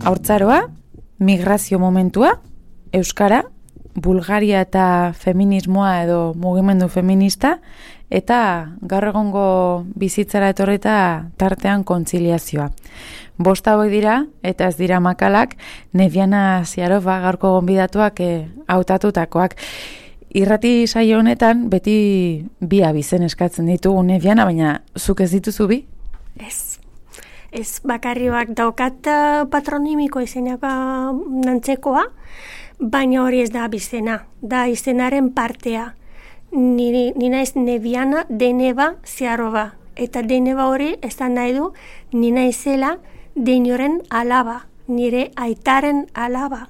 Haurtzaroa, migrazio momentua, euskara, Bulgaria eta feminismoa edo mugimendu feminista, eta gaur egongo bizitzara etorreta tartean kontziliazioa. 5 hauek dira, eta ez dira makalak, Neviana Ziarova gaurko gonbidatuak hautatutakoak. Irrati saio honetan beti bi abizen eskatzen ditugu, Neviana, baina zuk ez dituzu bi? Ez bakarri bak daukat patronimiko izenaka nantzekoa, baina hori ez da abizena, da izenaren partea. Ni naiz Neviana Deneva Ziarova, eta Deneva hori ez da nahi du, ni naizela deinoren alaba, nire aitaren alaba.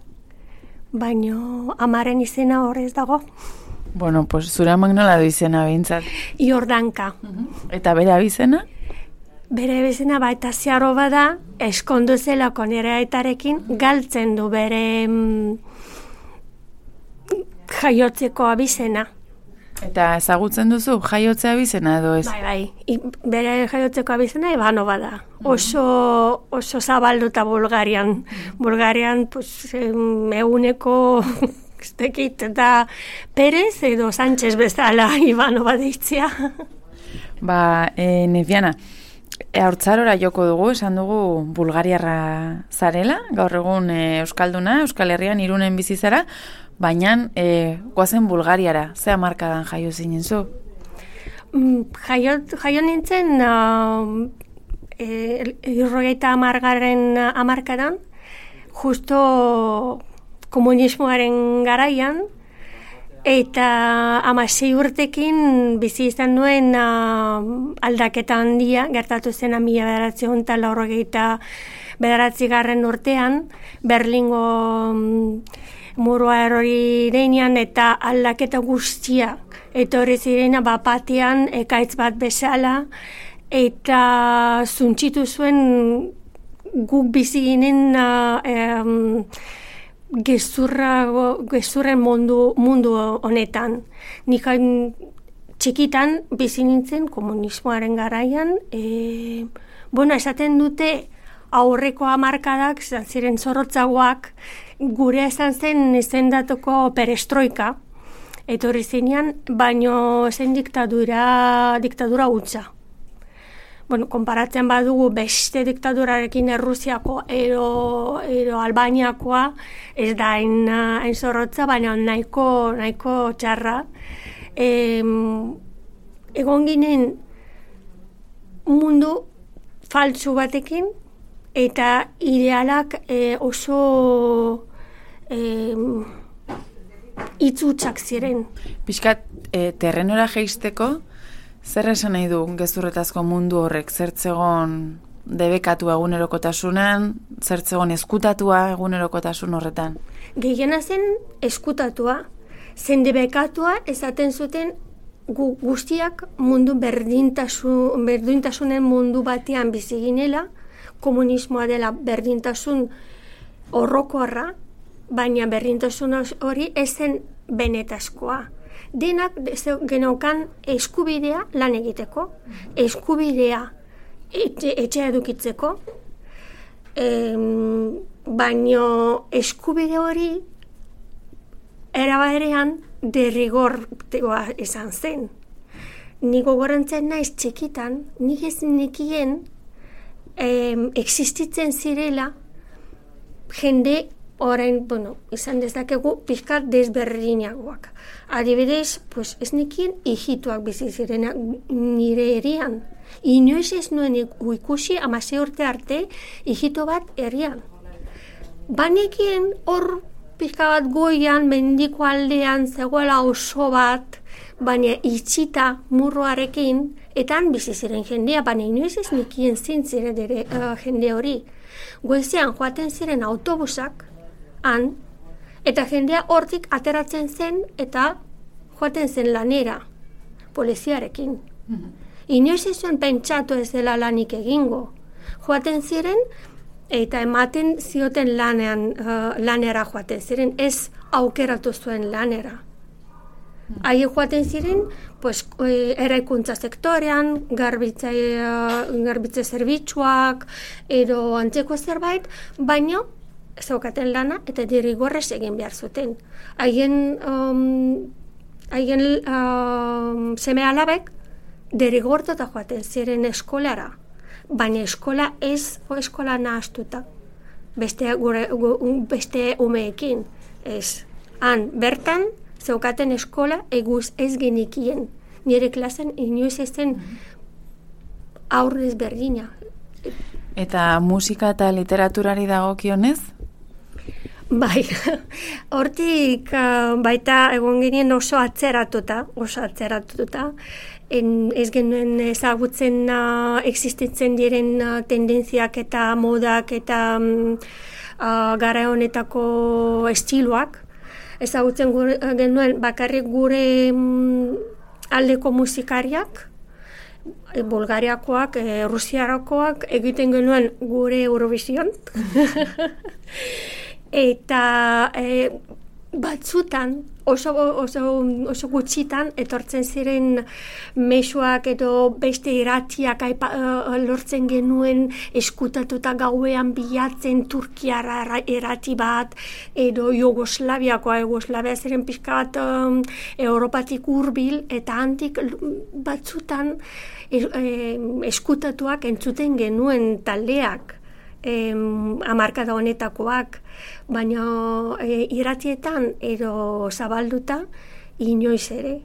Baina amaren izena horrez dago. Bueno, pues zure amak nola du izena behintzat? Jordanka. Eta bere abizena? Bere abizena baita Ziarova da, eskondu zelako nire aitarekin, galtzen du bere jaiotzeko abizena. Eta ezagutzen duzu jaiotzea abizena edo ez? Bai, bere jaiotzeko abizena Ivanova da. Oso zabalduta Bulgarian. Bulgarian, pues, eguneko eta Perez edo Sánchez bezala Ivanova deitzea. Neviana, haurtzarora joko dugu, esan dugu Bulgariarra zarela, gaur egun Euskalduna, Euskal Herrian Irunen bizi zara, baina goazen Bulgariara, ze hamarkadan jaio zinen zu? Jaio nintzen 70. hamarkadan, justo komunismoaren garaian, eta 16 urtekin bizi izan nuen aldaketa handia, gertatu zen 1989 urtean, Berlingo murua erori denean eta aldaketa guztia. Etorri ziren bapatean ekaitz bat bezala eta zuntxitu zuen guk bizi ginen gezurren mundu honetan. Nik txikitan bizi nintzen komunismoaren garaian, esaten dute aurreko hamarkadak ziren zorrotzagoak, gure izan zen izendatuko perestroika, etorri zinean, baino zen diktadura hutsa. Konparatzen badugu beste diktadurarekin Errusiako ero Albaniakoa, ez da hain zorrotza, baina nahiko txarra. Egon ginen mundu faltsu batekin, eta idealak oso itzutsak ziren. Pixkat, terrenora jeisteko, zer esan nahi du gezurretazko mundu horrek? Zertzegon debekatua egunerokotasunan, zertzegon eskutatua egunerokotasun horretan? Gehiena zen eskutatua, zen debekatua esaten zuten guztiak mundu berdintasunen mundu batean bizi ginela, komunismoa dela berdintasun horrokorra, baina berdintasun hori ezen benetazkoa. Denak genaukan eskubidea lan egiteko, eskubidea etxea edukitzeko, baina eskubide hori erabarean derrigortegoa izan zen. Nik gogorantzen naiz txikitan, nik ez nekien existitzen zirela jende orain, izan dezakegu pizkat desberdinagoak. Adibidez, ez nekien hijituak bizi zirena nire herrian. Inoiz ez nuen ikusi 16 urte arte hijito bat herrian. Banekien hor pizka bat goian, mendiko aldean zegoela oso bat, baina itxita murroarekin, eta han bizi ziren jendea, baina inoiz ez nekien zintzire jende hori. Goizean joaten ziren autobusak, han, eta jendea hortik ateratzen zen eta joaten zen lanera, poliziarekin. Inoiz ez zuen pentsatu ez dela lanik egingo. Joaten ziren eta ematen zioten lanera joaten ziren, ez aukeratu zuen lanera. Haie joaten ziren, eraikuntza sektorean, garbitze zerbitzuak, edo antzeko zerbait, baina zeukaten lana eta derrigorrez egin behar zuten. Haien seme alabek derrigortuta joaten ziren eskolara, baina eskola ez eskola nahastuta. Beste umeekin, ez. Han, bertan, zeukaten eskola eguz ez genikien. Nire klasen inoiz ezen aurrez berdina. Eta musika eta literaturari dagokionez? Bai, hortik baita egon ginen oso atzeratuta. Ez genuen ezagutzen existitzen diren tendentziak eta modak eta gara honetako estiloak. Ezagutzen genuen bakarrik gure aldeko musikariak, Bulgariakoak, Rusiarakoak, egiten genuen gure Eurovision. Eta batzutan, oso gutxitan, etortzen ziren mezuak edo beste irratiak lortzen genuen eskutatuta gauean bilatzen Turkiara irrati bat, edo Jugoslavia ziren pixka bat Europatik hurbil, eta handik batzutan eskutatuak entzuten genuen taldeak. Hamarkada honetakoak, baina irratietan edo zabalduta inoiz ere.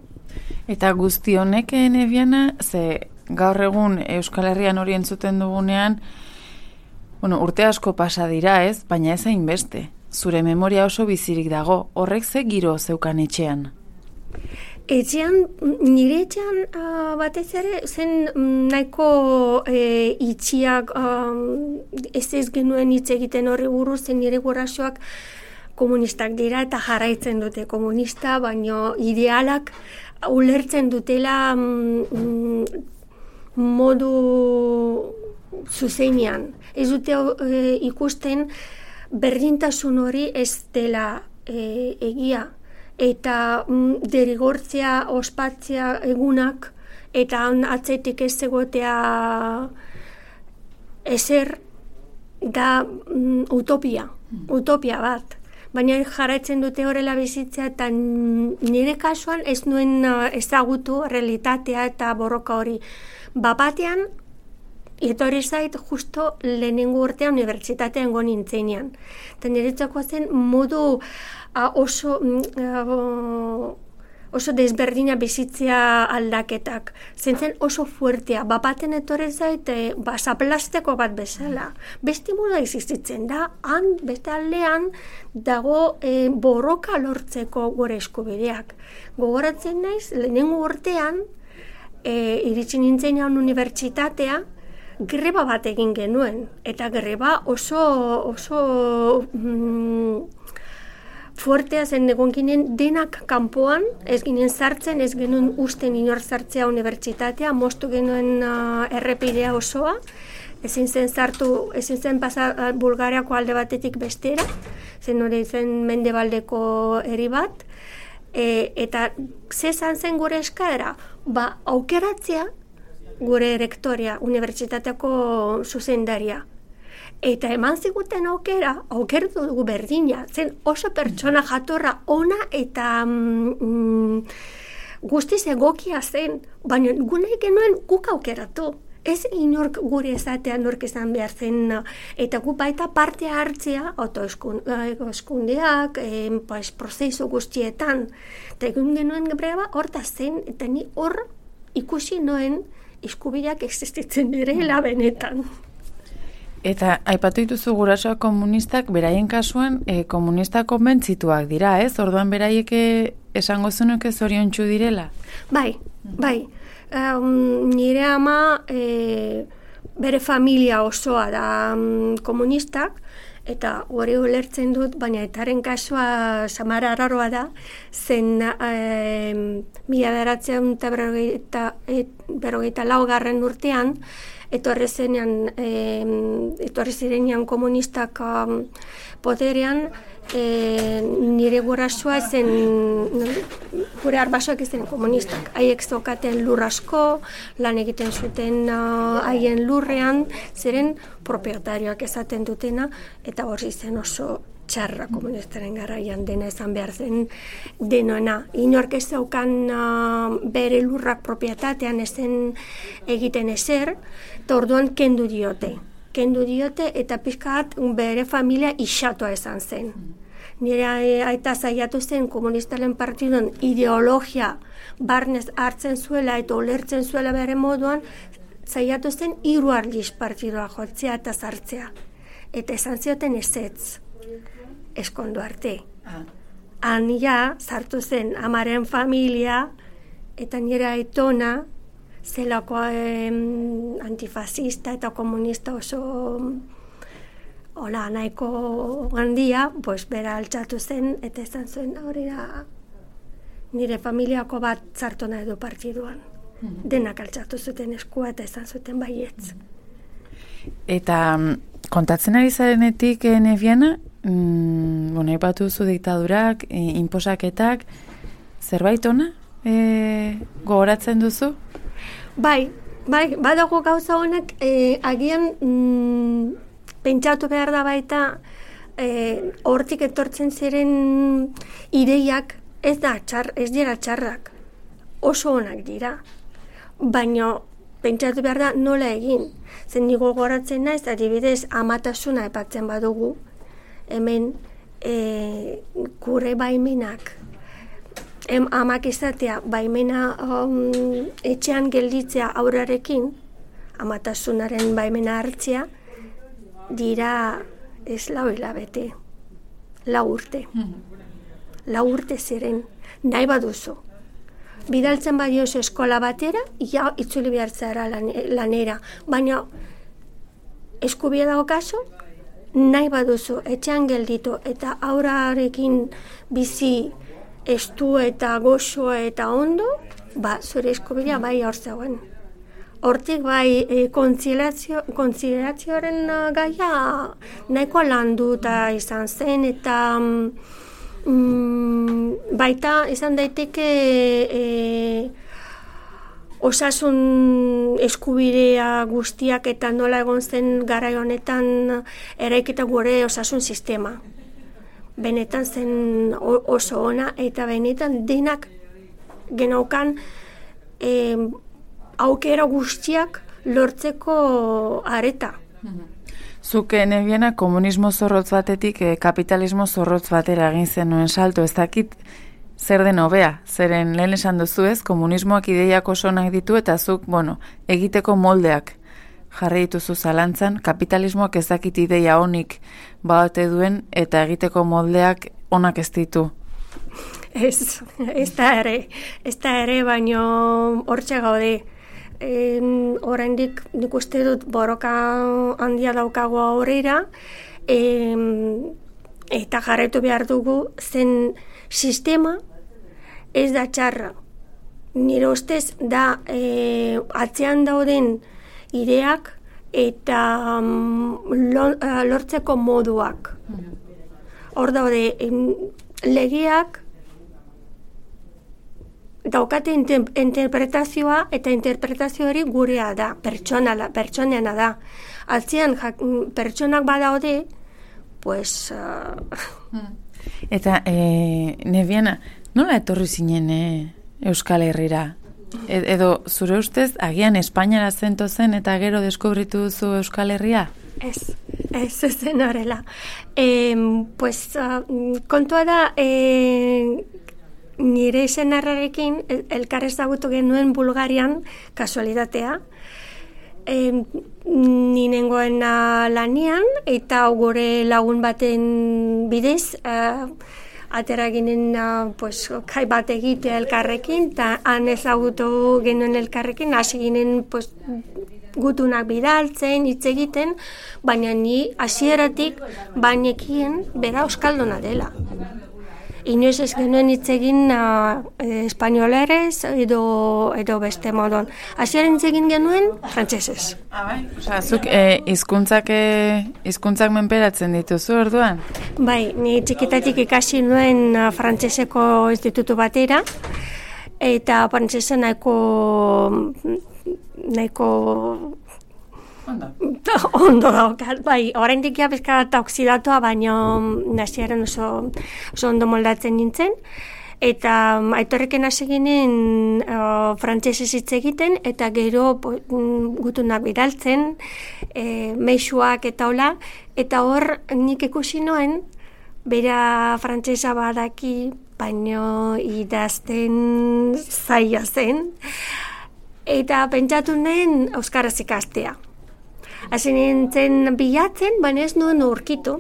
Eta guzti honek, Nebiana, ze gaur egun Euskal Herrian hori entzuten dugunean, urte asko pasa dira, ez? Baina ez hainbeste. Zure memoria oso bizirik dago. Horrek ze giro zeukan etxean? Nire etxean batez ere zen nahiko itxiak ez genuen hitz egiten horri buruz, zen nire gurasoak komunistak dira eta jarraitzen dute komunista, baina idealak ulertzen dutela modu zuzenean. Ez dute ikusten berdintasun hori ez dela egia. Eta derrigortzea, ospatzea egunak, eta atzetik ez egotea ezer da utopia bat. Baina jarraitzen dute horrela bizitzea, eta nire kasuan ez nuen ezagutu realitatea eta borroka hori. Bapatean, etorri zait justo lehenengo urtean unibertsitatean go nintzenean. Eta niretzako zen modu oso desberdina bizitzea aldaketak. Zen oso fuertea. Bapaten etorri zait zaplasteko bat bezala. Beste modu existitzen da, han beste aldean dago borroka lortzeko gure eskubideak. Gogoratzen naiz, lehenengo urtean iritsi nintzenean unibertsitatea, greba bat egin genuen, eta greba oso fuertea zen egon ginen denak kanpoan, ez ginen sartzen, ez genuen usten inor sartzea unibertsitatea, moztu genuen errepidea osoa, ezin zen pasa Bulgariako alde batetik bestera, zen hori zen mendebaldeko herri bat, eta zezan zen gure eskaera, aukeratzea gure rektoria, unibertsitateako zuzendaria. Eta eman ziguten aukertu dugu berdina, zen oso pertsona jatorra ona eta guztiz egokia zen, baina nahi genuen guk aukeratu. Ez inork gure ezatea nork izan behar zen, eta gu baita parte hartzea, autoeskundeak, prozesu guztietan. Eta egun genuen greba horta zen, eta ni hor ikusi noen eskubideak existitzen direla benetan. Eta aipatu dituzu gurasoak komunistak, beraien kasuan komunistak konbentzituak dira, ez? Orduan beraiek esango zunuke zoriontsu direla? Bai. Nire ama bere familia osoa da komunistak, eta hori ulertzen dut, baina etaren kasua samara araroa da, zen 1954 urtean, etorri zirenean komunistak poderean, nire gurasoa zen gure arbasoak ez ziren komunistak. Haiek zeukaten lur asko, lan egiten zuten haien lurrean, zeren propietarioak esaten dutena, eta hori zen oso txarra komunistaren garaian dena esan behar zen denoena. Inork ez zeukan bere lurrak propietatean ezen egiten ezer, eta orduan kendu diote eta pixkat bere familia isatua esan zen. Nire aita zaiatu zen komunistaren partidun ideologia barnez hartzen zuela eta ulertzen zuela bere moduan, zaiatu zen 3 aldiz partidua jotzea eta sartzea. Eta esan zioten ezetz, eskondu arte. Han ja, sartu zen amaren familia eta nire aitona zelako antifascista eta komunista oso hola, nahiko handia, pues bera altxatu zen, eta esan zuen hori da nire familiako bat sartu nahi du partiduan. Denak altxatu zuten eskua eta esan zuten baietz. Eta kontatzen ari zarenetik, Neviana, ipatu zu diktadurak, inposaketak, zerbait ona gogoratzen duzu? Bai, badago gauza honak, agian pentsatu behar da baita hortik etortzen ziren ideiak ez dira txarrak, oso onak dira, baina pentsatu behar da nola egin. Zen nigo gogoratzen naiz, adibidez amatasuna epatzen badugu, hemen gure baimenak, amak izatea baimena etxean gelditzea aurrarekin, amatasunaren baimena hartzea, dira ez 4 hilabete, 4 urte. 4 urte ziren, nahi baduzu. Bidaltzen badiozu eskola batera, ja itzuli behartzara lanera. Baina eskubia dago kaso, nahi baduzu, etxean gelditu eta aurrarekin bizi estu eta goxo eta ondo, zure eskubia bai hor zegoen. Hortik bai kontziliazioaren gaia nahiko landuta izan zen eta baita izan daiteke osasun eskubidea guztiak eta nola egon zen garai honetan eraikita gure osasun sistema. Benetan zen oso ona eta benetan denak genaukan aukera guztiak lortzeko areta. Zuk, Neviana, komunismo zorrotz batetik kapitalismo zorrotz batera egin zenuen salto, ez dakit zer den hobea, zeren lehen esan duzu ez, komunismoak ideiak oso onak ditu eta zuk, egiteko moldeak jarri dituzu zalantzan, kapitalismoak ez dakit ideia onik badate duen eta egiteko moldeak onak ez ditu. Ez da ere, baino hortxe gaude. Oraindik nik uste dut borroka handia daukago aurrera eta jarraitu behar dugu zen sistema ez da txarra. Nire ustez da atzean dauden ideak eta lortzeko moduak. Hor daude legeak daukate interpretazioa eta interpretazio hori gurea da, pertsoneana da. Atzean pertsonak badaude, pues... Eta, Neviana, nola etorri zinen Euskal Herrira? Edo, zure ustez, agian Espainiara zento zen eta gero deskubritu duzu Euskal Herria? Ez zen horrela. Pues, kontua da... Nire senarrarekin elkar ezagutu genuen Bulgarian kasualitatea. Ni nengoen lanian eta gure lagun baten bidez atera ginen kai bat egitea elkarrekin eta han ezagutu genuen elkarrekin hasi ginen gutunak bidaltzen, hitz egiten, baina ni hasieratik bainekien bera euskalduna dela. Inoiz ez genuen hitz egin espainolerez edo beste modon. Hasieran hitz egin genuen frantsesez. Zuk hizkuntzak menperatzen dituzu orduan? Bai, ni txikitatik ikasi nuen frantseseko institutu batera eta frantsesa nahiko ondo daukat, bai, oraindik ja pixka bat oksidatua, baina hasieran oso ondo moldatzen nintzen. Eta Aitorrekin hasi ginen frantsesez hitz egiten, eta gero gutunak bidaltzen, meixuak eta hola, eta hor nik ikusi noen, bera frantsesa badaki, baino idazten zaila zen, eta pentsatu nuen euskaraz ikastea. Hasi nintzen bilatzen, baina ez nuen aurkitu.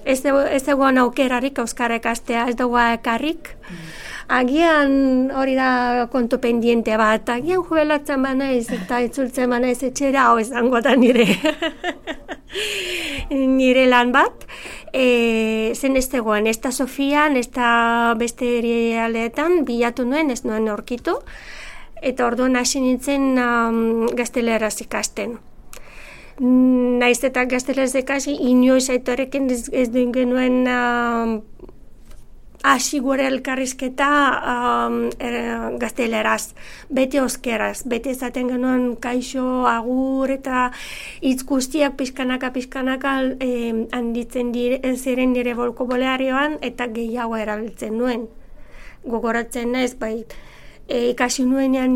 Ez dagoen aukerarik euskara ikastea, ez dagoa ekarrik. Agian hori da kontu pendiente bat, agian jubilatzen banaiz eta itzultzen banaiz etxera, hau izango da nire lan bat. Zen ez dagoen, ez da Sofian, ez da beste herrialdeetan bilatu nuen, ez nuen aurkitu. Eta orduan hasi nintzen gazteleraz ikasten. Naiz eta gazteleraz ikasi, inoiz Aitorrekin ez duen genuen hasi gure elkarrizketa gazteleraz, beti euskeraz, beti esaten genuen kaixo, agur eta hitz guztiak pixkanaka handitzen ziren nire bolkobolearioan eta gehiago erabiltzen nuen. Gogoratzen naiz, bai, ikasi nuenean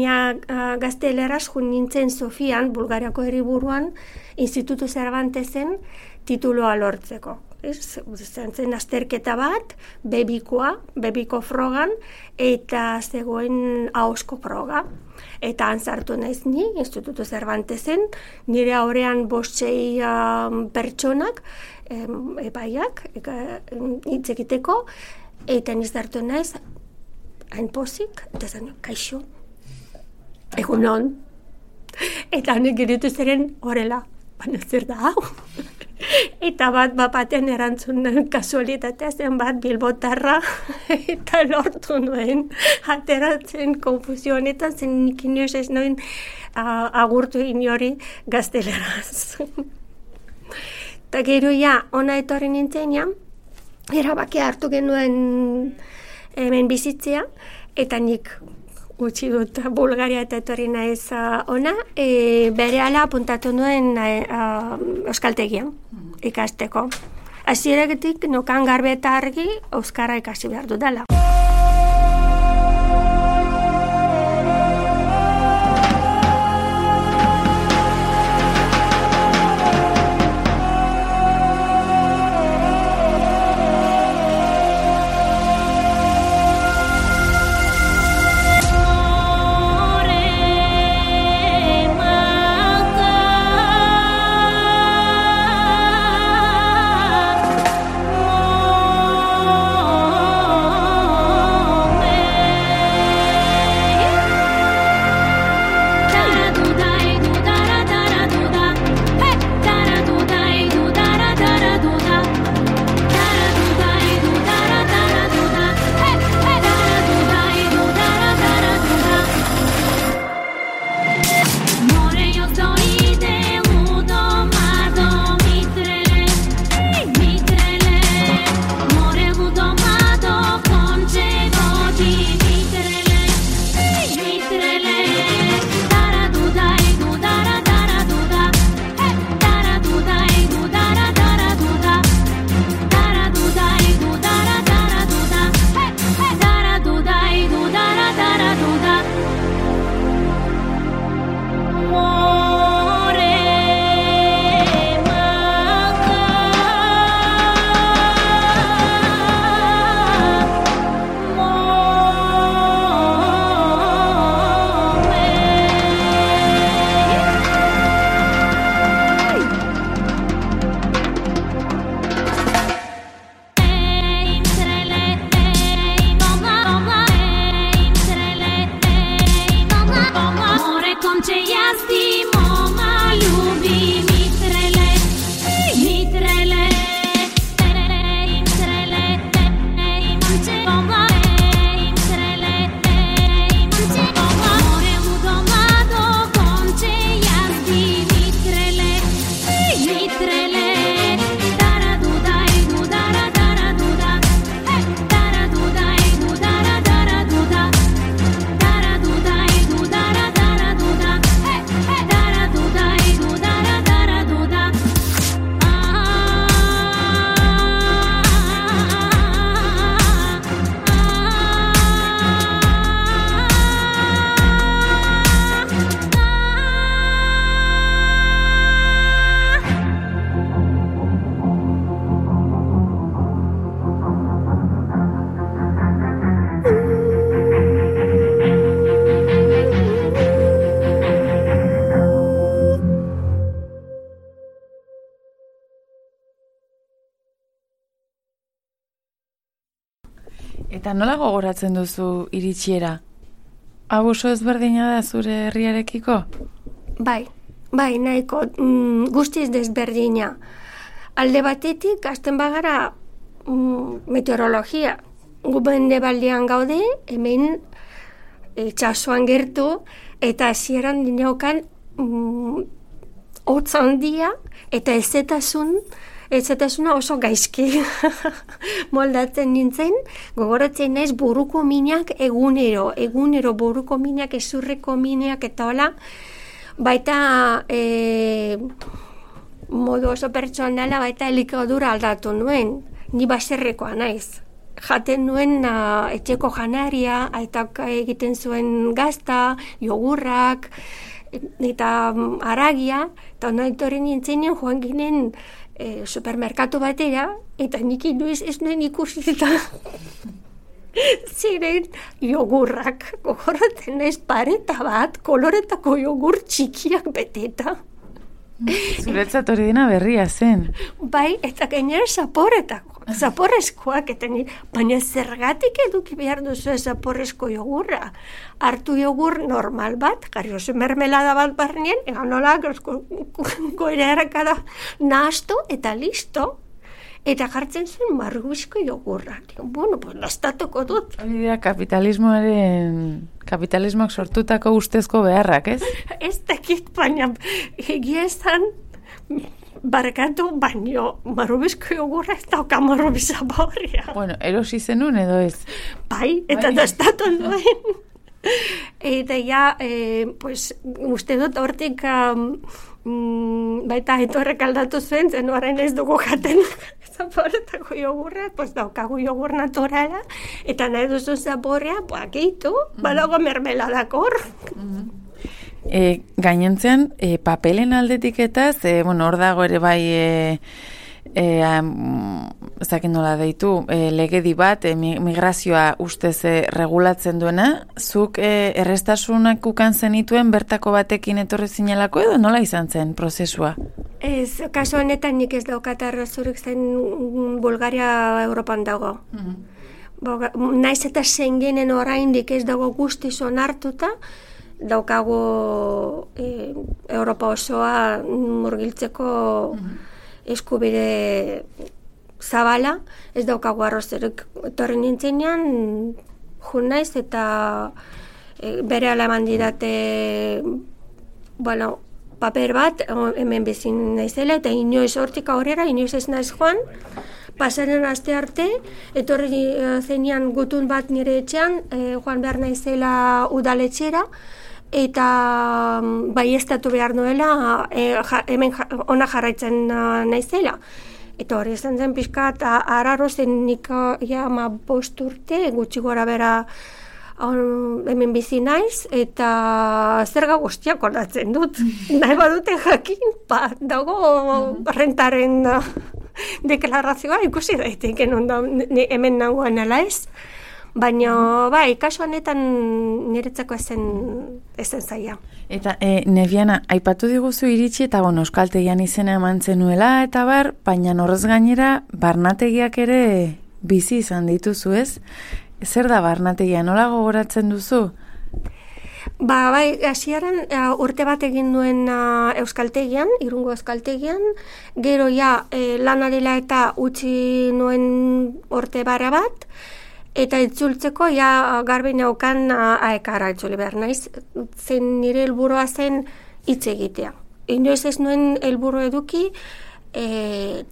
gazteleraz nintzen Sofian, Bulgariako hiriburuan, Instituto Cervantesen tituloa lortzeko. Zen azterketa bat, bebiko frogan, eta zegoen ahozko froga. Eta antzartu naiz ni, Instituto Cervantesen, nire aurrean 5-6 pertsonak, epaiak, hitz egiteko, eta nizartu naiz, hain pozik, eta zen, kaixo, egunon. Eta honek giritu zeren horrela, baina zer da hau? Eta baten erantzun kasualitatea zen bat bilbotarra, eta lortu nuen ateratzen konfusio honetan, zen nik inoiz ez nuen agurtu inori gazteleraz. Eta gero ona etorri nintzen erabakia hartu genuen hemen bizitzea, eta nik utzi dut Bulgaria eta etorri naiz ona, berehala apuntatu nuen euskaltegian ikasteko. Hasieratik nokan garbi eta argi euskara ikasi behar dudala. Eta nola gogoratzen duzu iritsiera? Hau oso ezberdina da zure herriarekiko? Bai, nahiko guztiz desberdina. Alde batetik, hasten bagara meteorologia. Gu mendebaldean gaude, hemen itsasoan gertu, eta hasieran dineokan hotz handia, eta ezetasuna oso gaizki moldatzen nintzen, gogoratzen naiz buruko minak egunero buruko minak, ezurreko minak eta hola, baita modu oso pertsonala, baita elikadura aldatu nuen, ni baserrekoa naiz. Jaten nuen etxeko janaria, aitak egiten zuen gazta, jogurrak, eta haragia, eta ondoren nintzenean joan ginen supermerkatu batera, eta nik inoiz ez nuen ikusi eta ziren jogurrak, gogoratzen naiz pareta bat, koloretako jogur txikiak beteta. Zuretzat hori dena berria zen. Bai, eta gainera zaporrezkoak, eta baina zergatik eduki behar duzu zaporrezko jogurra. Hartu jogur normal bat, jarri oso mermelada bat barnean, egan nola goerakada nahastu eta listo. Eta jartzen zuen marrubizko jogurra. Bueno, pues lastatuko dut. Hori dira kapitalismoak sortutako ustezko beharrak, ez? Ez dakit, baina egia esan barkatu, baino marrubizko jogurra ez dauka marrubiza borria. Bueno, erosi zenun edo ez? Bai, eta lastatu duen. Eta ja, pues, uste dut hortik baita etorrek aldatu zuen, zen orain ez dugu jaten zaporetako jogurra, pues daukagu jogur naturala, eta nahi duzu zaporrea, gehitu, badago mermeladakor. Gainentzean, papelen aldetiketaz, hor dago ere bai, ezakin nola deitu, legedi bat, migrazioa ustez regulatzen duena, zuk errestasunak ukan zenituen bertako batekin etorri zinelako edo nola izan zen prozesua? Ez, kasu honetan nik ez daukat arrazorik zen Bulgaria Europan dago. Naiz eta Schengenen oraindik ez dago guztiz onartuta, daukagu Europa osoa murgiltzeko eskubide zabala, ez daukagu arrazorik. Etorri nintzenean, jun naiz eta bere alaman didate, paper bat, hemen bezin naizela, eta inoiz hortik aurrera, inoiz ez naiz joan, pasaren aste arte, etorri zenean gutun bat nire etxean, joan behar naizela udaletxera, eta baieztatu behar nuela, hemen ona jarraitzen naizela. Eta hori izan zen pixkat, araro zen nik ja 5 urte, gutxi gora bera hemen bizi naiz, eta zerga guztiak ordatzen dut. Nahi badute jakin, dago rentaren deklarazioa ikusi daiteken hemen nagoen ala ez. Baina, kasu honetan niretzako ezen zaila. Eta, Nebiana, aipatu diguzu iritsi eta euskaltegian izena eman zenuela eta baina horrez gainera barnategiak ere bizi izan dituzu, ez? Zer da barnategia, nola gogoratzen duzu? Hasieran urte bat egin nuen euskaltegian, Irungo euskaltegian, gero lanarela eta utzi nuen urte bara bat, eta itzultzeko garbi neukan aekara itzuli behar naiz, zen nire helburua zen hitz egitea. Inoiz ez nuen helburu eduki,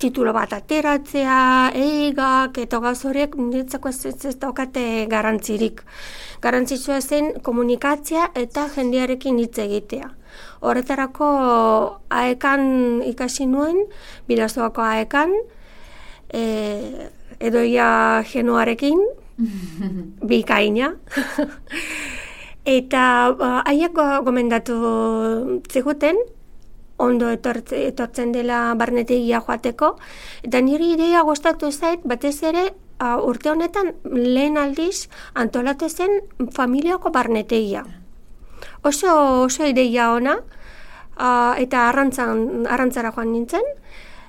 titulo bat ateratzea, eigak eta gazorek niretzako ez daukate garrantzirik. Garrantzitsua zen komunikatzea eta jendearekin hitz egitea. Horretarako aekan ikasi nuen, Bidasoako aekan, edoia genuarekin, bikaina. Eta haiek gomendatu ziguten, ondo etortzen dela barnetegia joateko, eta niri ideia gustatu zait, batez ere urte honetan lehen aldiz antolatu zen familiako barnetegia. Oso ideia ona, eta arrantzara joan nintzen,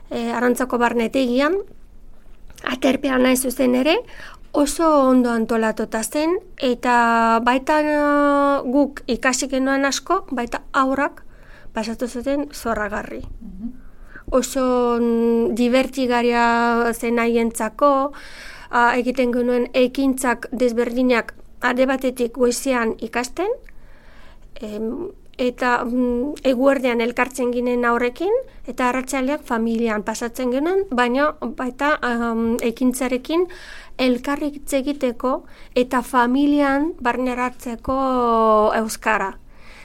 arrantzako barnetegian, aterpean nahi zuzen ere, Oso ondo antolatuta zen, eta baita guk ikasi genuen asko, baita aurrak pasatu zuten zorragarri. Oso divertigarria zen haientzako, egiten genuen ekintzak desberdinak alde batetik goizean ikasten, eta eguerdean elkartzen ginen aurrekin, eta arratsaleak familian pasatzen genuen, baina baita ekintzarekin elkarrik hitz egiteko eta familian barneratzeko euskara.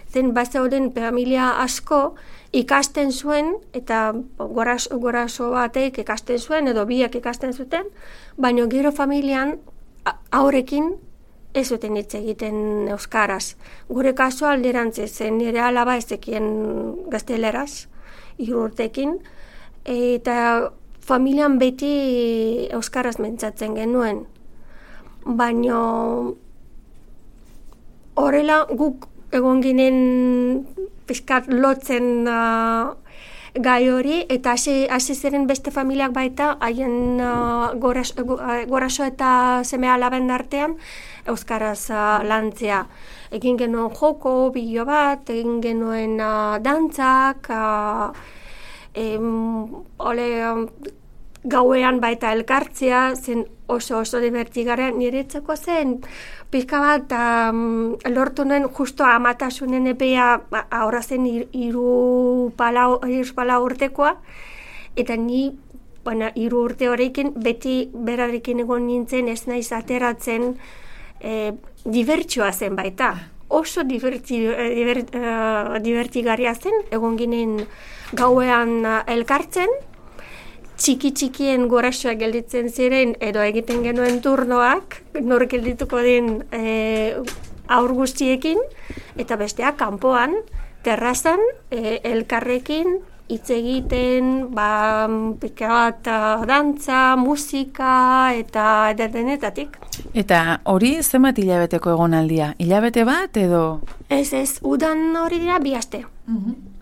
Zen bazeuden familia asko ikasten zuen, eta goraso batek ikasten zuen, edo biak ikasten zuten, baina gero familian aurrekin ez zuten hitz egiten euskaraz. Gure kasua alderantziz zen, nire alaba ezekien gazteleraz, 3 urtekin, eta familian beti euskaraz mentzatzen genuen. Baina horrela guk egon ginen pixkat lotzen gai hori, eta hasi ziren beste familiak baita, haien goraso eta seme alaben artean, euskaraz lantzea. Egin genuen joko, bilo bat, egin genuen dantzak, gauean baita elkartzea, zen oso divertigarria, niretzako zen pixka bat lortu nuen justo amatasunen epea ahora zen 3 urtekoa, eta ni 3 urte horrekin beti berarekin egon nintzen, ez naiz ateratzen, dibertsioa zen baita. Oso divertigarria zen, egon ginen gauean elkartzen, txiki-txikien gorasoak gelditzen ziren, edo egiten genuen turnoak, nor geldituko den aur guztiekin, eta besteak kanpoan, terrazan, elkarrekin, hitz egiten, pika bat dantza, musika, eta denetatik. Eta hori zenbat hilabeteko egonaldia? Hilabete bat edo? Ez, udan hori dira 2 aste.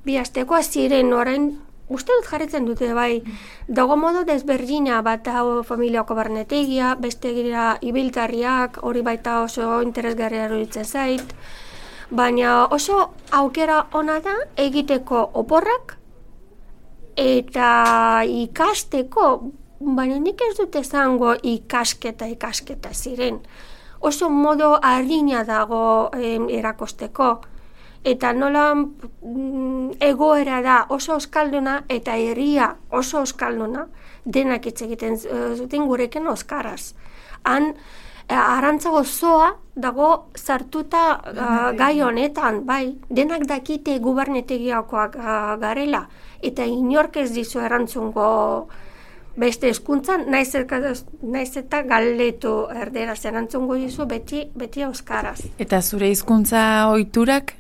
2 asteko ziren orain, uste dut jarritzen dute bai, dago modo desberdina, bat familiako barnetegia, beste gira ibiltarriak, hori baita oso interesgarria iruditzen zait, baina oso aukera ona da egiteko oporrak eta ikasteko, baina nik ez dut esango ikasketa ziren. Oso modo harina dago erakosteko. Eta nola egoera da oso euskalduna eta herria oso euskalduna, denak hitz egiten zuten gurekin euskaraz. Han arantza gozoa dago sartuta gai honetan, bai, denak dakite gubernetegiakoak garela, eta inork ez dizu erantzungo beste hezkuntzan, naiz eta galdetu erderaz erantzungo dizu beti euskaraz. Eta zure hizkuntza ohiturak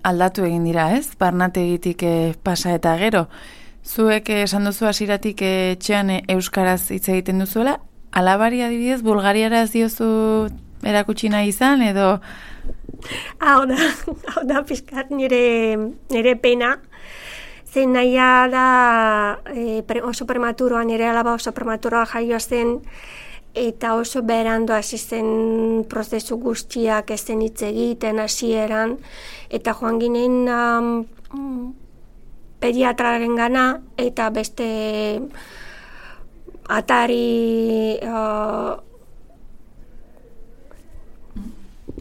aldatu egin dira, ez? Barnategitik pasa eta gero. Zuek esan duzu hasieratik etxean euskaraz hitz egiten duzuela, alabari adibidez bulgariaraz diozu erakutsi nahi izan edo? Hau da pixkat nire pena. Zen nahia da oso prematuroan, nire alaba oso prematuroa jaio zen, eta oso berandu hasi zen prozesu guztiak ezen hitz egiten hasieran, eta joan ginen pediatraren gana, eta beste atari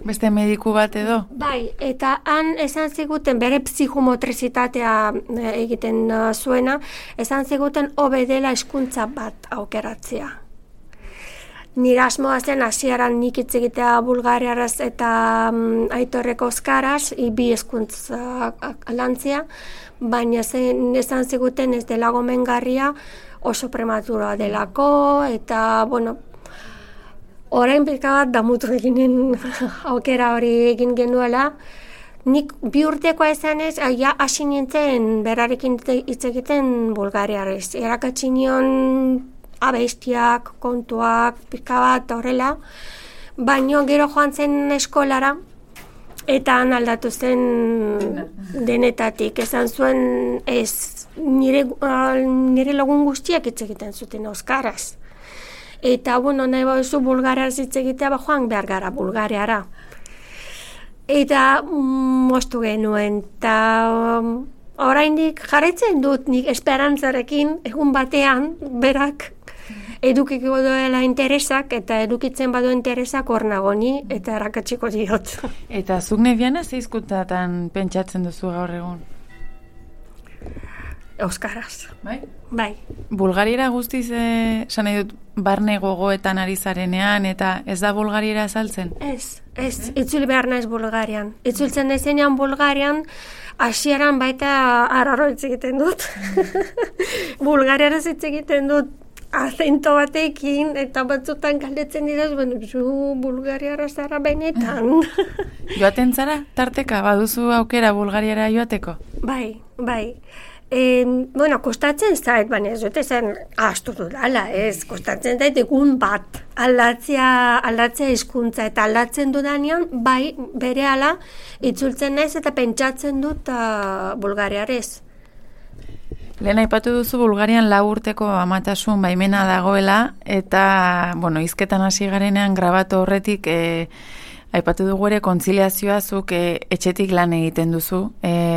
beste mediku bat edo? Bai, eta han esan ziguten bere psihomotrizitatea egiten zuena, esan ziguten hobe dela hizkuntza bat aukeratzea. Nire asmoa zen hasieran nik hitz egitea bulgariaraz eta aitorreko euskaraz, 2 hizkuntza lantzea, baina esan ziguten ez dela gomengarria, oso prematuroa delako, eta, orain pika bat damutu eginen aukera hori egin genuela. Nik 2 urtekoa esanez, hasi nintzen berarekin hitz egiten bulgariarez. Erakatsi nion abestiak, kontuak, pika bat horrela, baino gero joan zen eskolara, eta han aldatu zen denetatik. Esan zuen nire lagun guztiak hitz egiten zuten euskaraz. Eta, bueno, nahi bauzu Bulgariaraz hitz egitea, joan behar gara Bulgariara. Eta moztu genuen, eta oraindik jarraitzen dut nik esperantzarekin egun batean berak edukiko duela interesak, eta edukitzen badu interesak hor nagoni, eta errakatsiko diot. Eta zuk Neviana ze hizkuntzatan pentsatzen duzu gaur egun? Euskaraz. Bai? Bulgariera guztiz, esan nahi dut, barne gogoetan ari zarenean, eta ez da Bulgariera saltzen? Ez, itzuli behar naiz Bulgarian. Itzultzen naizenean Bulgarian, hasieran baita arraro hitz egiten dut. Bulgariaraz hitz egiten dut azento batekin, eta batzutan galdetzen dira, zu Bulgariara zara benetan. Joaten zara, tarteka, baduzu aukera Bulgariara joateko? Bai. Kostatzen zait, baina ez dut esan ahaztu dudala, kostatzen zait egun bat aldatzea hizkuntza, eta aldatzen dudanean, bai, berehala itzultzen naiz eta pentsatzen dut Bulgariarez. Lehen aipatu duzu Bulgarian 4 urteko amatasun baimena dagoela, eta, hizketan hasi garenean grabatu horretik, aipatu dugu ere kontziliazioa zuk etxetik lan egiten duzu,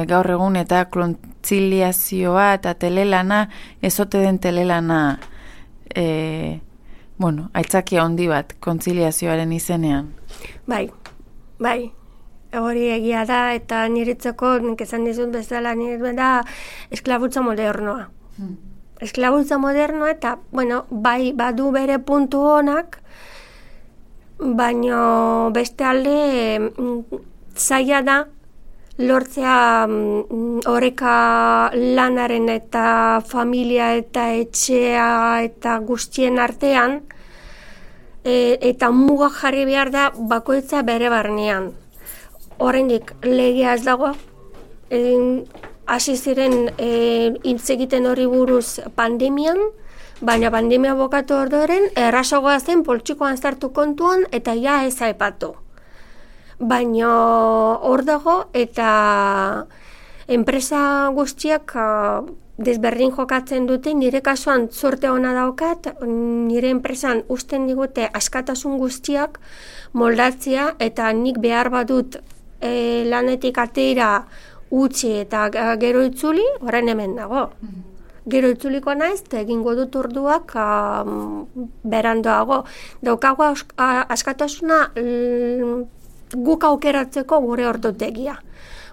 gaur egun eta kontziliazioa eta telelana, ezote den telelana, aitzakia handi bat kontziliazioaren izenean. Bai, hori egia da, eta niretzako, nik esan dizut bezala, da esklabutza modernoa. Esklabutza modernoa, eta, bai, badu bere puntu honak, baina beste alde zaila da lortzea oreka lanaren eta familia eta etxea eta guztien artean, eta muga jarri behar da bakoitza bere barnean. Oraindik legea ez dago, hasi ziren hitz egiten hori buruz pandemian, baina pandemia bukatu ordoren, errazagoa zen poltsikoan sartu kontuan eta ja ez aipatu. Baina hor dago eta enpresa guztiak desberdin jokatzen dute, nire kasuan zorte ona daukat, nire enpresan uzten digute askatasun guztiak moldatzea, eta nik behar badut lanetik atera utzi eta gero itzuli, orain hemen dago. Gero itzuliko naiz, eta egingo dut orduak berandoago. Daukago askatasuna guk aukeratzeko gure ordutegia.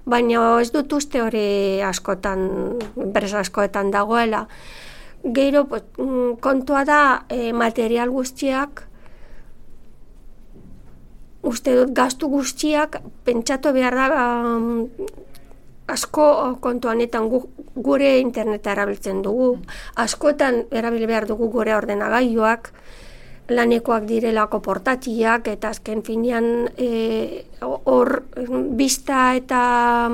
Baina ez dut uste hori askotan, enpresa askoetan dagoela. Gero kontua da material guztiak, uste dut gastu guztiak pentsatu behar da asko kontuanetan gure interneta erabiltzen dugu. Askotan erabili behar dugu gure ordenagailuak, lanekoak direlako portatiak, eta azken finean hor bista eta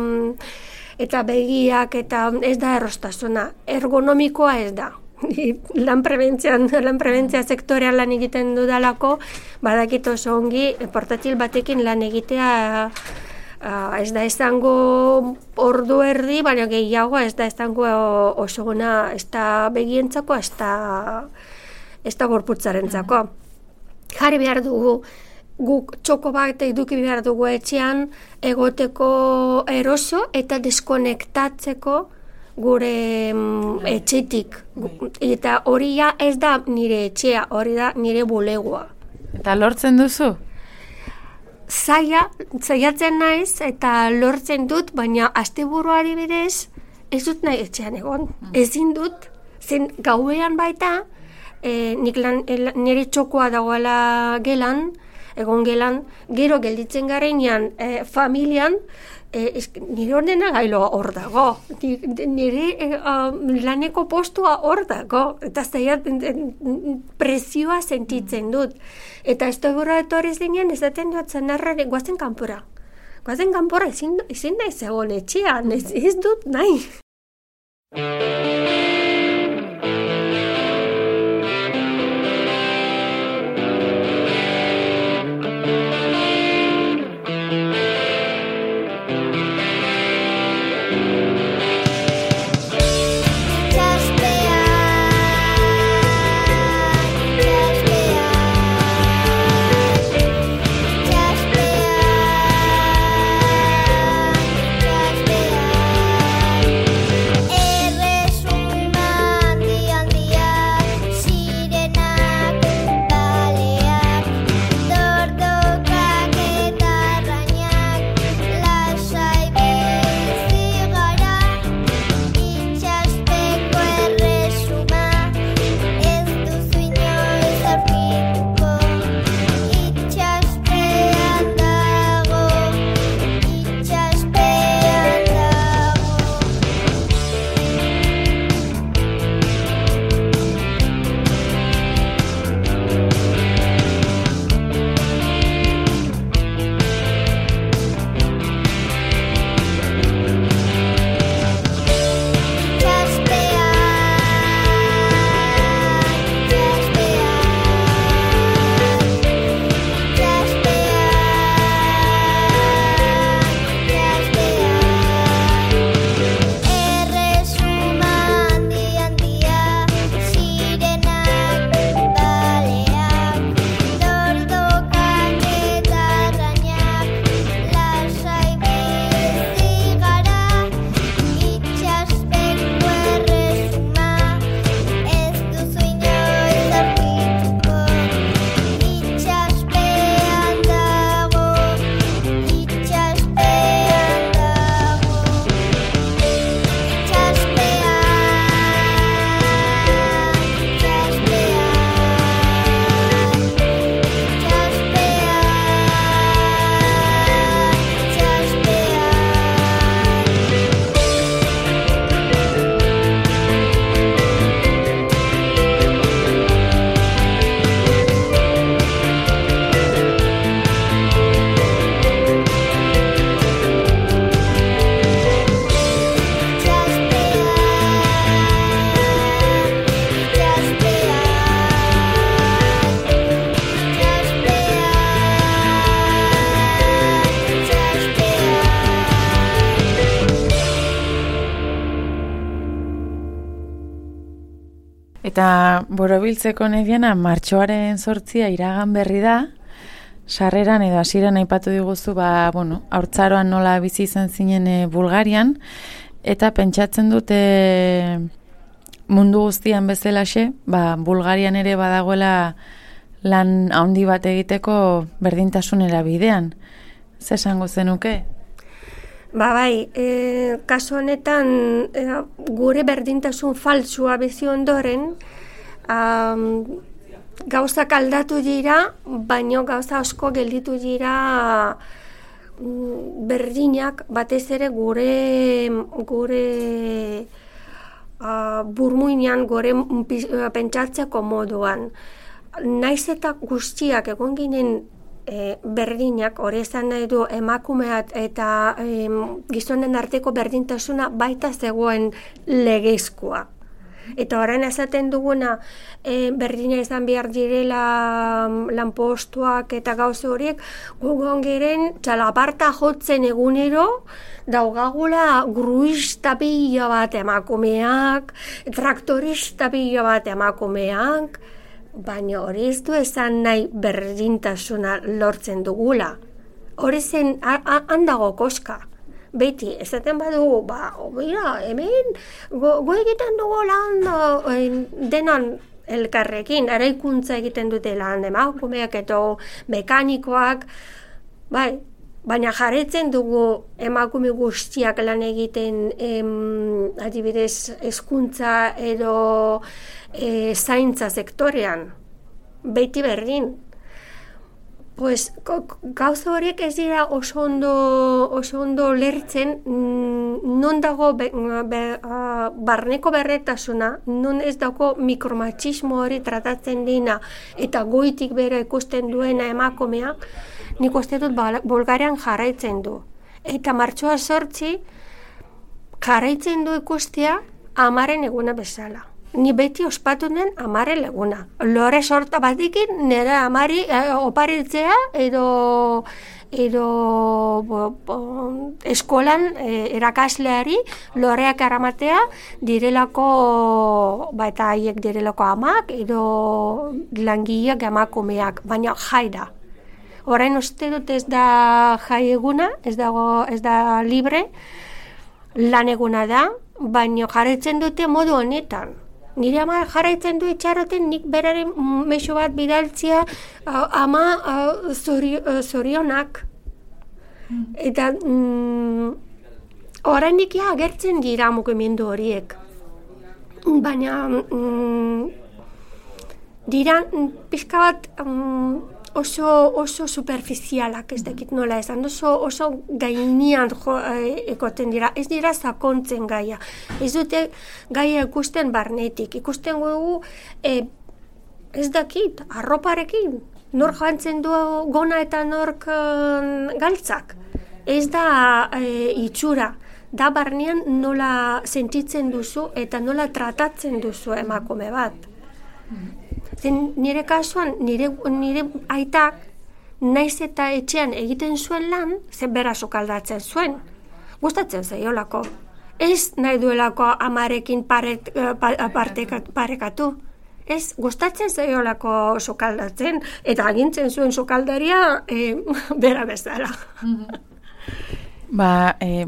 begiak, eta ez da errostasuna. Ergonomikoa ez da. Lan prebentzia sektorean lan egiten dudalako, badakit oso ongi portatil batekin lan egitea ez da izango ordu erdi, baina gehiago ez da izango oso gona, ez da begientzako, ez da gorputzarentzako. Jarri behar dugu, guk txoko bat eduki behar dugu etxean, egoteko eroso eta deskonektatzeko gure etxetik. Eta hori ez da nire etxea, hori da nire bulegoa. Eta lortzen duzu? Zaiatzen naiz eta lortzen dut, baina asteburuari bidez ez dut nahi etxean egon. Ezin dut, zen gauean baita, nire txokoa dagoela gelan, egon gelan, gero gelditzen garenean familian, nire ordena gailoa hor dago, nire laneko postua hor dago, eta presioa sentitzen dut. Eta ez da gura etorri zinean, ez daten dut zanarrare, guazen kanpora. Guazen kanpora, ezin nahi zegoen etxean, ez dut nahi. Itxaspean Eta borobiltzeko Neviana, martxoaren 8 iragan berri da, sarreran edo hasieran aipatu diguzu, haurtzaroan nola bizi izan zinen Bulgarian, eta pentsatzen dute mundu guztian bezalaxe, Bulgarian ere badagoela lan handi bat egiteko berdintasunera bidean. Zer esango zenuke? Bai, kasu honetan gure berdintasun faltsua bizi ondoren, gauzak aldatu dira, baino gauza asko gelditu dira berdinak, batez ere gure burmuinean, gure pentsatzeko moduan. Naiz eta guztiak egon ginen berdinak, hori esan nahi du emakumeak eta gizonen arteko berdintasuna baita zegoen legezkoa. Eta orain esaten duguna berdina izan behar direla lanpostuak eta gauze horiek, gugon giren txalaparta jotzen egunero daugagula gruista pila bat emakumeak, traktorista pila bat emakumeak, baina hori ez du esan nahi berdintasuna lortzen dugula. Hori zen handago koska. Beti, esaten badugu, hemen go egiten dugu lan denan elkarrekin, eraikuntza egiten dute lan emakumeak eta mekanikoak, baina jarretzen dugu emakume guztiak lan egiten adibidez hezkuntza edo zaintza sektorean, beti berdin. Pues, gauza horiek ez dira oso ondo lertzen, non dago barneko berretasuna, non ez dago mikromachismo hori tratatzen dina eta goitik bera ikusten duena emakumea, nik uste dut Bulgarian jarraitzen du. Eta martxoa 8 jarraitzen du ikustea amaren eguna bezala. Ni beti ospatu den amaren eguna. Lore sorta batikin nire amari oparitzea edo eskolan erakasleari loreak eramatea direlako, eta haiek direlako amak edo langileak emakumeak, baina jai da. Orain uste dut ez da jai eguna, ez da libre, lan eguna da, baina jarraitzen dute modu honetan. Nire ama jarraitzen du itxaroten nik beraren mezu bat bidaltzea ama zorionak. Eta oraindik agertzen dira mugimendu horiek. Baina dira pixka bat oso superficialak, ez dakit nola esan, oso gainean ekoten dira, ez dira sakontzen gaia. Ez dute gaia ikusten barnetik, ikusten dugu ez dakit, arroparekin, nor jantzen du gona eta nork galtzak. Ez da itxura, da barnean nola sentitzen duzu eta nola tratatzen duzu emakume bat. Nire kasuan, nire aitak, naiz eta etxean egiten zuen lan, bera sukaldatzen zuen. Gustatzen zaiolako. Ez nahi duelako amarekin parekatu. Ez, gustatzen zaiolako sukaldatzen, eta agintzen zuen sukaldaria bera bezala.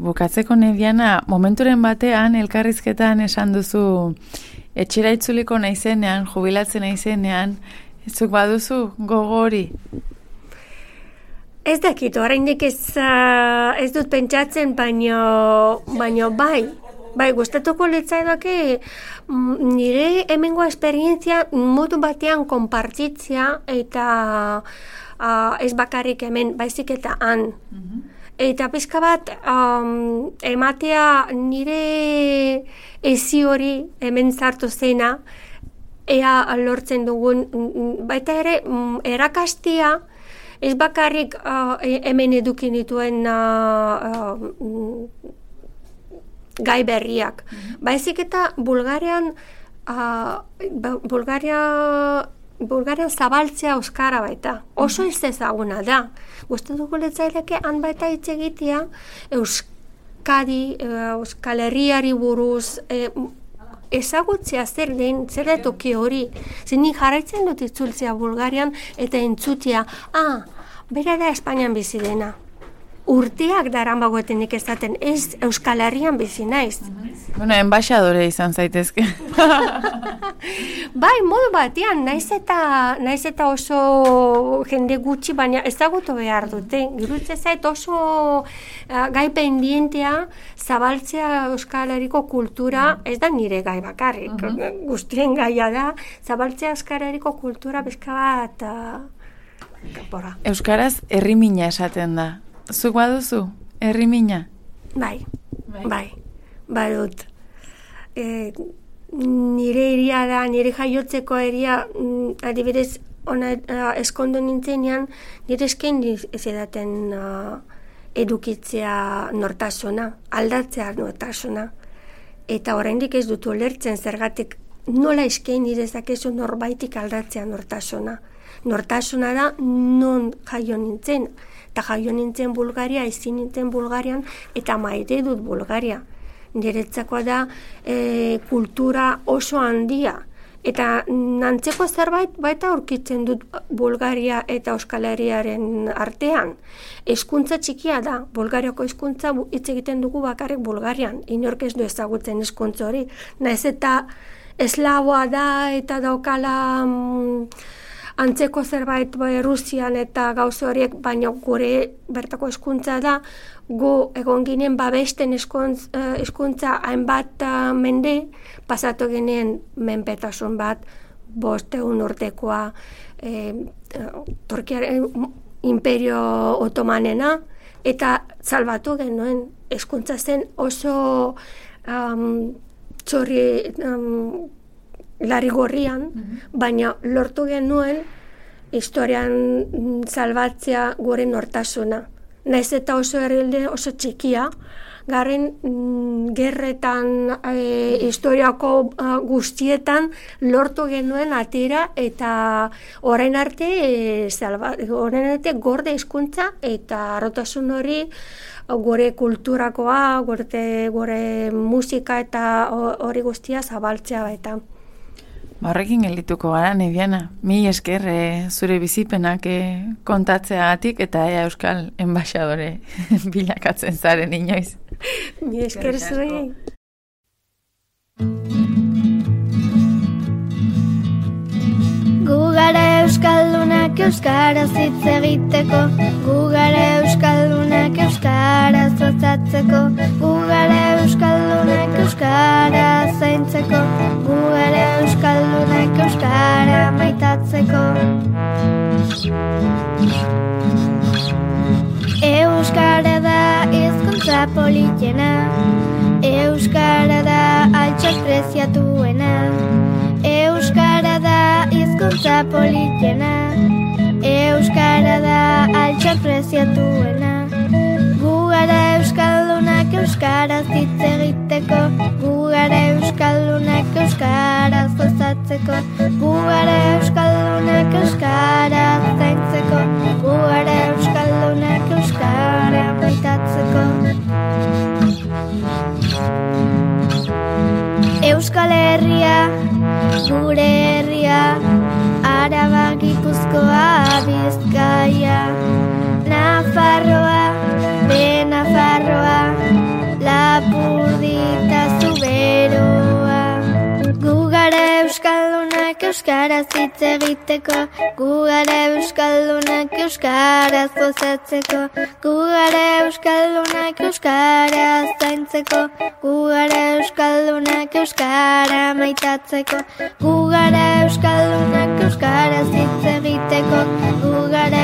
Bukatzeko Neviana, momenturen batean, elkarrizketan esan duzu, etxera itzuliko naizenean, jubilatzen naizenean, zuk baduzu gogo hori? Ez dakit, oraindik ez dut pentsatzen, baino bai, gustatuko litzaidake nire hemengo esperientzia modu batean konpartitzea eta ez bakarrik hemen, baizik eta han. Eta pizka bat ematea nire ezi hori hemen zartu zena, ea lortzen dugun, baita ere erakastea, ez bakarrik hemen edukin dituen gai berriak. Baizik eta Bulgarian zabaltzea euskara baita. Oso ez ezaguna da. Gustatuko litzaidake han baita hitz egitea Euskadi, Euskal Herriari buruz, ezagutzea zer den, zer da toki hori. Nik jarraitzen dut itzultzea Bulgarian eta entzutea, bera da Espainian bizi dena. Urteak daranbagoetenik ezaten, ez Euskal Herrian bizi naiz. Bueno, enbaixadore izan zaitezke. Bai, modu batean, naiz eta oso jende gutxi, baina ezagutu behar dute. Girutze zait oso gai pendientea zabaltzea Euskal Herriko kultura, ez da nire gai bakarrik, guztien gaia da, zabaltzea Euskal Herriko kultura bezka bat kapora. Euskaraz herrimina esaten da. Zuk baduzu, herrimina? Bai, badut. Nire iria da, nire jaiotzeko iria, adibidez, eskondo nintzenean, nire esken edaten edukitzea nortasuna, aldatzea nortasuna. Eta oraindik ez dut ulertzen zergatik nola esken nire zakezu norbaitik aldatzea nortasuna. Nortasuna da non jaio nintzen. Eta jaio nintzen Bulgaria, ezin nintzen Bulgarian, eta maite dut Bulgaria. Niretzakoa da kultura oso handia. Eta nantzeko zerbait baita aurkitzen dut Bulgaria eta Euskal Herriaren artean. Hezkuntza txikia da, Bulgariako hezkuntza hitz egiten dugu bakarrik Bulgarian. Inork ez du ezagutzen hezkuntza hori. Naiz eta eslaboa da eta daukala antzeko zerbait Rusian eta gauza horiek, baina gure bertako hezkuntza da, gu egon ginen babesten hezkuntza hainbat mende, pasatu ginen menpetasun bat, 500 urtekoa Turkiaren imperio otomanena, eta salbatu genuen hezkuntza zen oso larri gorrian, baina lortu genuen historian salbatzea gure nortasuna. Naiz eta oso herrialde oso txikia, garen gerretan, historiako guztietan lortu genuen atera eta orain arte gorde hizkuntza eta harrotasun hori gure kulturakoa, gure musika eta hori guztia zabaltzea baita. Horrekin geldituko gara, Nebiana. Mil esker zure bizipenak kontatzeagatik eta Euskal enbaixadore bilakatzen zaren inoiz. Mil esker zuei. Gu gara euskaldunak euskaraz hitz egiteko, gu gara euskaldunak euskaraz gozatzeko, gu gara euskaldunak euskaraz zaintzeko, gu gara euskaldunak euskara maitatzeko. Euskara da hizkuntza politena, euskara da altxor preziatuena, euskara da hizkuntza politena, euskara da altxor preziatuena. Gu gara euskaldunak euskaraz hitz egiteko, gu gara euskaldunak euskaraz gozatzeko, gu gara euskaldunak euskaraz zaintzeko, gu gara euskaldunak euskara maitatzeko. Euskal Herria, gure herria, Araba, Gipuzkoa, Bizkaia, Nafarroa, Benafarroa, Lapurdita, Zuberoa. Gu gara euskaldunak euskaraz hitz egiteko, gu gara euskaldunak euskaraz gozatzeko, gu gara euskaldunak euskaraz zaintzeko, gu gara euskaldunak euskara maitatzeko, gu gara euskaldunak euskaraz hitz egiteko, gu gara